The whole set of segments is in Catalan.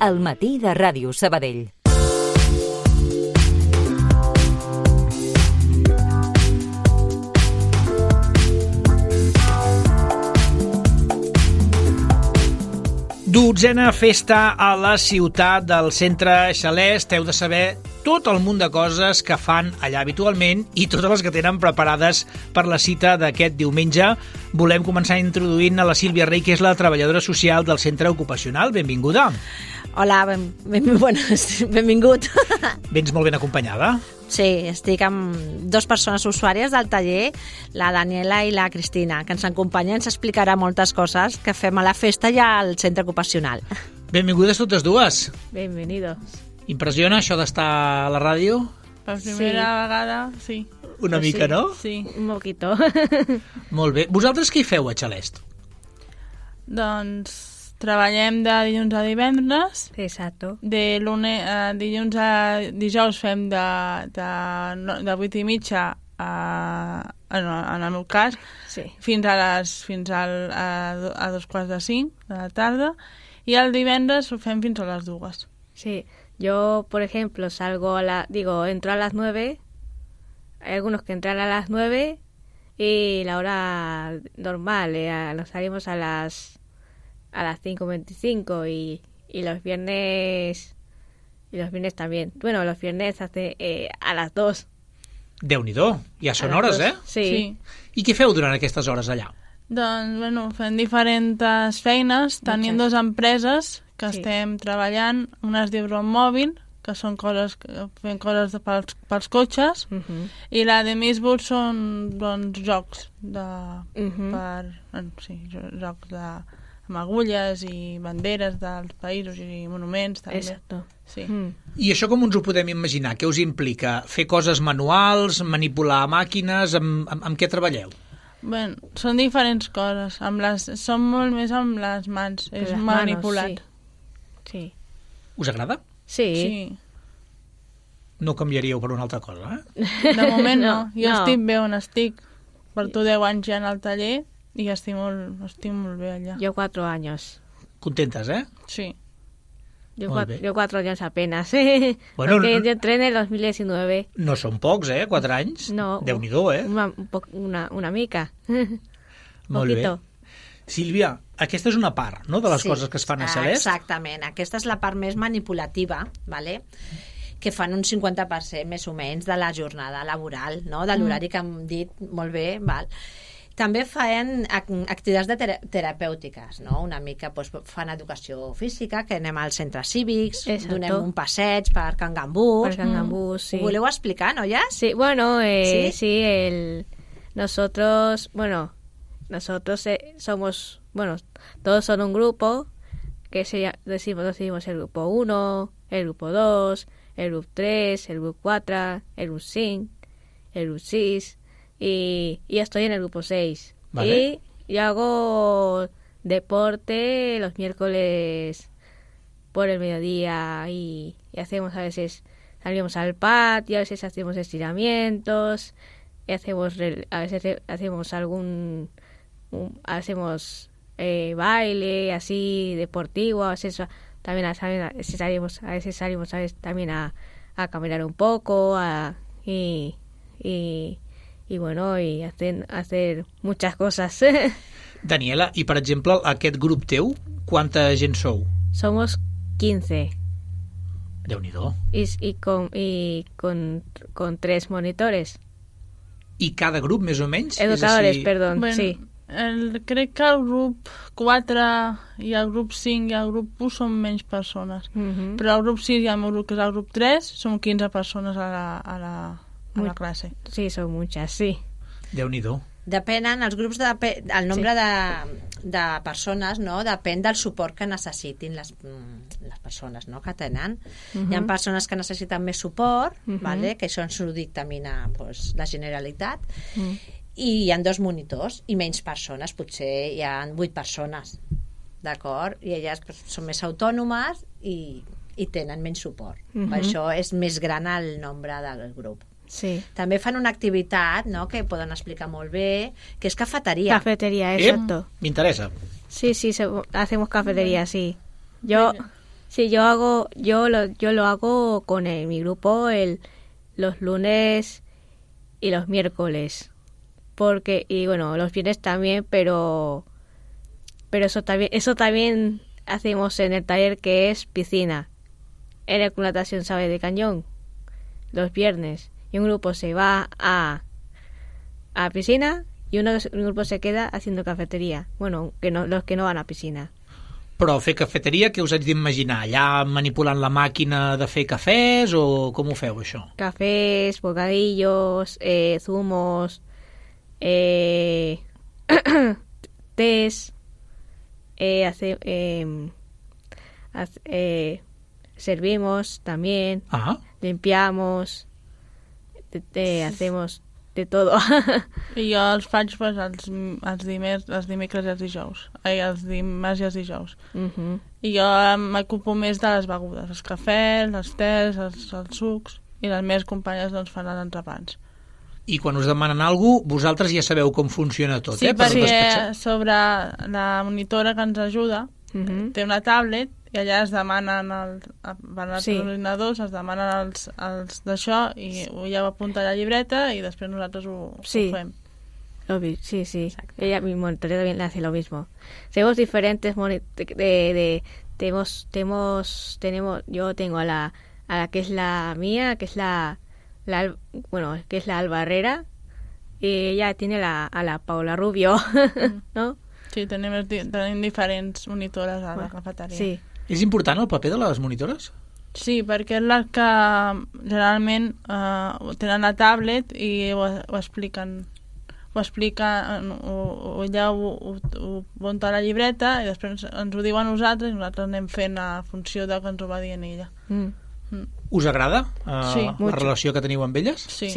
al matí de Ràdio Sabadell. Dotzena festa a la ciutat del Centre Xalest. Heu de saber tot el munt de coses que fan allà habitualment i totes les que tenen preparades per la cita d'aquest diumenge. Volem començar introduint a la Sílvia Rey, que és la treballadora social del centre ocupacional. Benvinguda. Hola, benvingut. Vens molt ben acompanyada? Sí, estic amb dues persones usuàries del taller, la Daniela i la Cristina, que ens acompanyen, ens explicarà moltes coses que fem a la festa i al centre ocupacional. Benvingudes totes dues. Bienvenidos. Impressiona això d'estar a la ràdio? Per primera vegada, sí. Una mica, sí, no? Sí. Un poquito. Molt bé. Vosaltres què hi feu a Xalest? Doncs treballem de dilluns a divendres. Exacto. De dilluns a dijous fem de 8:30 en el meu cas, Sí. fins a 4:45 de la tarda, i el divendres ho fem fins a les 2. Sí, yo, por ejemplo, entro a las 9, hay algunos que entran a las 9 y la hora normal, nos salimos a las 5:25 y los viernes también. Bueno, los viernes a las 2. Déu-n'hi-do, ja són hores, eh? Sí. I què feu durant aquestes hores allà? Doncs, bueno, fem diferents feines. Tenim dues empreses que estem treballant. Una es diu Ron Mòbil, que són fem coses pels cotxes, i la de Misboot són, doncs, jocs jocs amb agulles i banderes dels països i monuments, també. Exacto. Sí. I això com ens ho podem imaginar? Què us implica? Fer coses manuals, manipular màquines? Amb què treballeu? Bé, són diferents coses. Són molt més amb les mans. És manipulat. Sí. Us agrada? Sí. No canviaríeu per una altra cosa, eh? De moment no. Jo No. estic bé on estic. Porto 10 anys ja al taller i estic molt bé allà. Yo 4 años. Contentes, eh? Sí. Yo Molt bé. 4 años apenas. Bueno, Porque yo entré en el 2019. No són pocs, 4 anys? No. Déu-n'hi-do, Una mica. Molt bé. Poquito. Sílvia, aquesta és una part, no?, de les coses que es fan a Xalest? Exactament. Aquesta és la part més manipulativa, ¿vale? Que fan un 50% més o menys de la jornada laboral, no?, de l'horari que hem dit molt bé, val? També fan activitats terapèutiques, no? Una mica fan educació física, que anem als centres cívics, Exacto. donem un passeig per Can Gambús. Per Can Gambús, sí. Ho voleu explicar, noies? Sí, bueno, ¿Sí? nosotros somos, todos son un grupo que decimos el grupo 1, el grupo 2, el grupo 3, el grupo 4, el grupo 5, el grupo 6 y estoy en el grupo 6. Vale. Y yo hago deporte los miércoles por el mediodía y hacemos a veces, salimos al patio, a veces hacemos estiramientos, y a veces hacemos baile así deportivo, a veces también salimos también a caminar un poco y hacer muchas cosas. Daniela, i per exemple, aquest grup teu, quanta gent sou? Somos 15 Déu-n'hi-do. y con 3 monitores. I cada grup, més o menys? Educadores, És així... perdón, Bueno, sí. Crec que el grup 4 i el grup 5 i el grup 1 són menys persones. Però el grup 6 i el meu grup, que és el grup 3, són 15 persones a la classe. Sí, son muchas, sí. Déu-n'hi-do. Depenen, els grups, el nombre de persones, no? Depèn del suport que necessitin les persones, no?, que tenen. Hi ha persones que necessiten més suport, vale? Que això ens ho dictamina, pues, la Generalitat, i hi ha 2 monitors i menys persones, potser hi ha 8 persones, d'acord? I elles, pues, són més autònomes i tenen menys suport. Per això és més gran el nombre del grup. Sí. També fan una activitat, no?, que poden explicar molt bé, que és cafeteria. Cafetería, exacto. M'interessa. Sí, hacemos cafetería, sí. Yo Sí, yo lo hago con mi grupo los lunes y los miércoles. Y bueno, los viernes también, pero eso también hacemos en el taller que es piscina. En el Club Natación Sabe de Cañón, los viernes. Y un grupo se va a piscina y un grupo se queda haciendo cafetería. Bueno, los que no van a piscina. Però fer cafeteria, què us haig d'imaginar? Allà manipulant la màquina de fer cafès o com ho feu, això? Cafés, bocadillos, zumos, tés, servimos también, limpiamos, hacemos de todo. I jo els faig pues, els dimecres i els dijous. Els dimarts i els dijous. I jo m'ocupo més de les begudes, els cafès, els tés, els sucs, i les meves companyes doncs, fan els entrepans. I quan us demanen alguna cosa, vosaltres ja sabeu com funciona tot, sí, perquè sobre la monitora que ens ajuda té una tablet i allà es demanen van als ordinadors, es demanen els d'això i ja ho apunta a la llibreta i després nosaltres ho fem. Sí. Ella, mi monitora también hace lo mismo. Tenemos diferentes yo tengo a la que es la mía, que es que es la Alba Herrera, y ella tiene a la Paula Rubio, ¿no? Sí, tenim diferents monitores a la cafeteria. Sí. És important el paper de les monitores? Sí, perquè és la que generalment tenen la tablet i ho expliquen. Ella ho munta a la llibreta i després ens ho diuen nosaltres i nosaltres anem fent a funció de que ens ho va dient ella. Us agrada sí, la relació que teniu amb elles? Sí.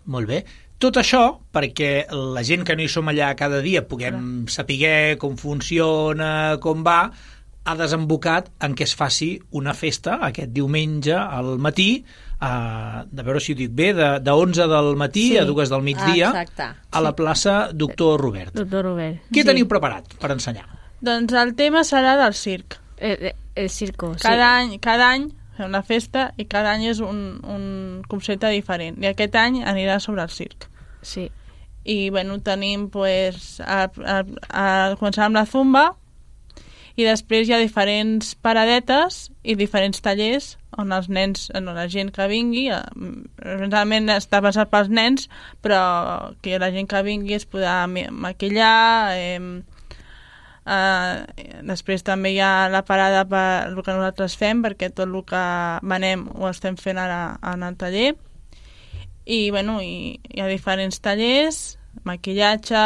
Molt bé. Tot això perquè la gent que no hi som allà cada dia puguem saber com funciona, com va, ha desembocat en què es faci una festa aquest diumenge al matí, de veure si ho dic bé, de 11 del matí a 2 del migdia, a la plaça Doctor Robert. Doctor Robert. Què teniu preparat per ensenyar? Doncs el tema serà del circ. El circo, cada any fem una festa i cada any és un concepte diferent. I aquest any anirà sobre el circ. Sí. I bueno, tenim pues, començar amb la zumba i després hi ha diferents paradetes i diferents tallers on els nens, la gent que vingui, realment està passat pels nens, però que la gent que vingui es podrà maquillar. Després també hi ha la parada per el que nosaltres fem, perquè tot el que venem ho estem fent ara en el taller. I bueno, hi ha diferents tallers, maquillatge,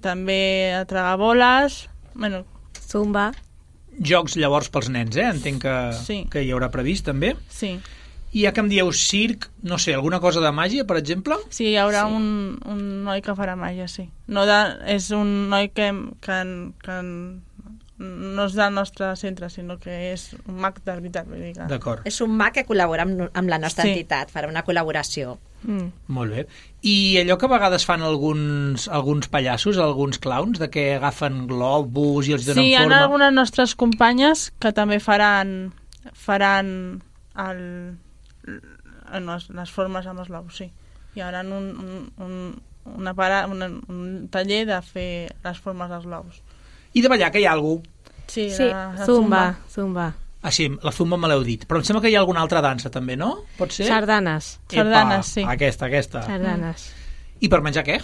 també tragar boles, bueno, zumba. Jocs llavors pels nens, entenc que hi haurà previst també. Sí. I ja que em dieu circ, no sé, alguna cosa de màgia, per exemple? Sí, hi haurà un noi que farà màgia, sí. És un noi que no és del nostre centre, sinó que és un mag de veritat. D'acord. És un mag que col·labora amb la nostra entitat, farà una col·laboració. Molt bé. I allò que a vegades fan alguns pallassos, alguns clowns, de que agafen globus i els donen forma... Sí, hi ha algunes nostres companyes que també faran les formes amb els globus, sí. Hi haurà un taller de fer les formes dels globus. I de ballar, que hi ha algú? Sí, la zumba. Ah, sí, la zumba me l'heu dit. Però em sembla que hi ha alguna altra dansa, també, no? Pot ser? Sardanes. Sardanes, sí. Aquesta. Sardanes. I per menjar què?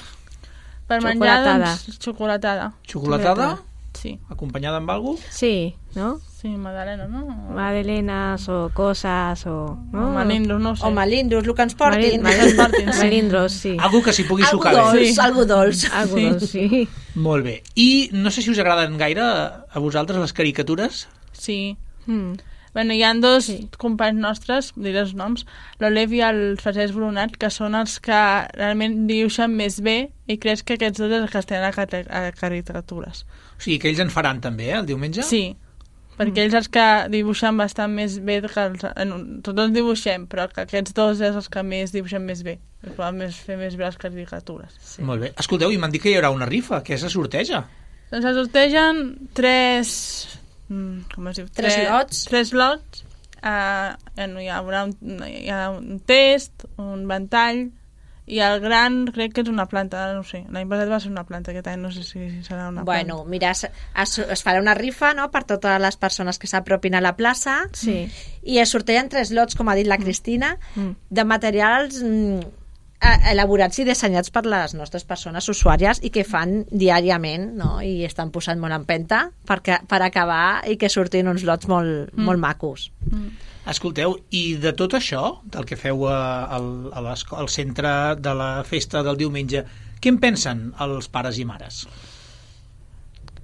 Per menjar, doncs, xocolatada. Xocolatada? Sí. Acompanyada amb algú? Sí, ¿no? Sí, magdalena, ¿no? Magdalenas o cosas o... ¿no? O melindros, no sé. O melindros, el que ens portin. Melindros, sí. Algú que s'hi pugui sucar bé. Algú dolç. Algú dolç, sí. Molt bé. I no sé si us agraden gaire a vosaltres les caricatures? Sí. Bueno, hi ha dos companys nostres, diré els noms, l'Olev i el Francesc Brunat, que són els que realment dibuixen més bé i crec que aquests dos els que estan a caricatures. O sigui, que ells en faran també, el diumenge? Sí, perquè ells els que dibuixen bastant més bé que els... Tots dibuixem, però que aquests dos és els que més dibuixen més bé. Poden fer més bé les caricatures. Sí. Molt bé. Escolteu, i m'han dit que hi haurà una rifa. Què se sorteja? Doncs es sortegen 3... com es diu? 3 lots. 3 lots. Hi ha un test, un ventall, i el gran crec que és una planta, no sé. L'any passat va ser una planta, aquest any no sé si serà una planta. Bueno, mira, es farà una rifa, no?, per totes les persones que s'apropin a la plaça, Sí. i es sortegen 3 lots, com ha dit la Cristina, de materials elaborats i dissenyats per les nostres persones usuàries i que fan diàriament, no?, i estan posant molt en penta per acabar i que surtin uns lots molt macos. Escolteu, i de tot això, del que feu al centre de la festa del diumenge, què en pensen els pares i mares?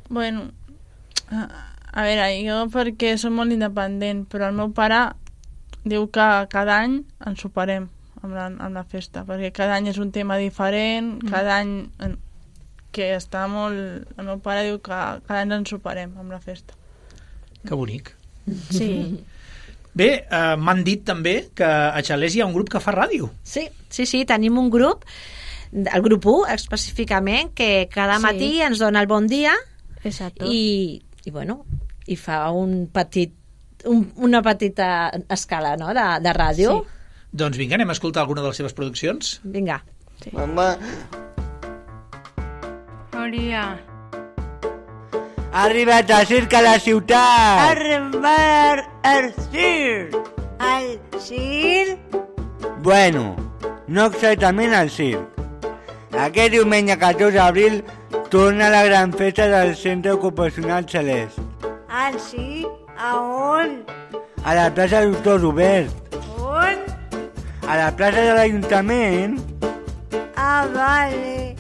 Bueno, a veure, jo perquè som molt independent, però el meu pare diu que cada any ens superem amb la festa, perquè cada any és un tema diferent, cada any que està molt... El meu pare diu que cada any ens superem amb la festa. Que bonic. Sí. Bé, m'han dit també que a Xalès hi ha un grup que fa ràdio. Sí, tenim un grup, el grup 1 específicament, que cada matí ens dona el bon dia. Exacto. I fa una petita escala, no?, de ràdio. Sí. Doncs vinga, anem a escoltar alguna de les seves produccions. Vinga. Sí. Mamà, Maria. ha arribat el circ a la ciutat. Arribar al circ. Al circ? Bueno, no exactament al circ. Aquest diumenge 14 d'abril torna la gran festa del Centre Ocupacional Celest. Al circ? A on? A la plaça Doctor Robert. On? A la plaça de l'Ajuntament. Ah, vale.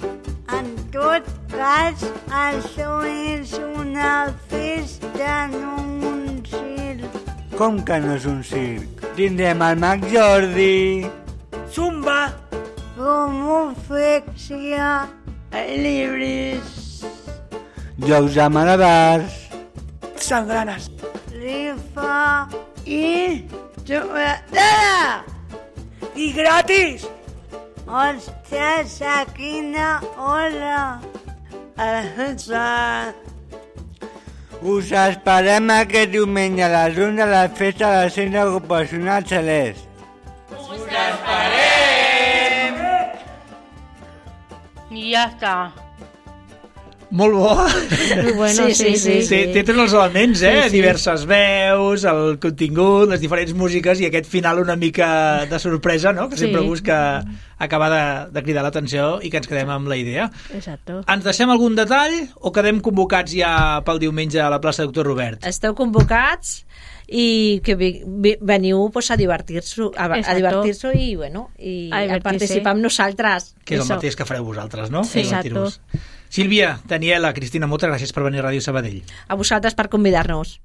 En tot cas, això és una festa, no un circ. Com que no és un circ? Tindrem el Mag Jordi. Zumba. Homoflexia. Llibres. Jocs de malabars. Sangranes. Rifa. I... xocolata. I gratis. Ostres, a quina hora? A les 11. Us esperem aquest diumenge a les 11 de la festa del Centre Ocupacional Celest. I ja està. Molt bo. Bueno, sí. Té tots els elements, Sí. Diverses veus, el contingut, les diferents músiques i aquest final una mica de sorpresa, no?, que sempre busca acabar de cridar l'atenció i que ens quedem amb la idea. Exacto. Ens deixem algun detall o quedem convocats ja pel diumenge a la plaça Doctor Robert? Esteu convocats i que veniu pues, a divertir-se i, a participar amb nosaltres. Que és el mateix que fareu vosaltres, no? Sí, Divertir-vos. Sílvia, Daniela, Cristina, moltes gràcies per venir a Ràdio Sabadell. A vosaltres per convidar-nos.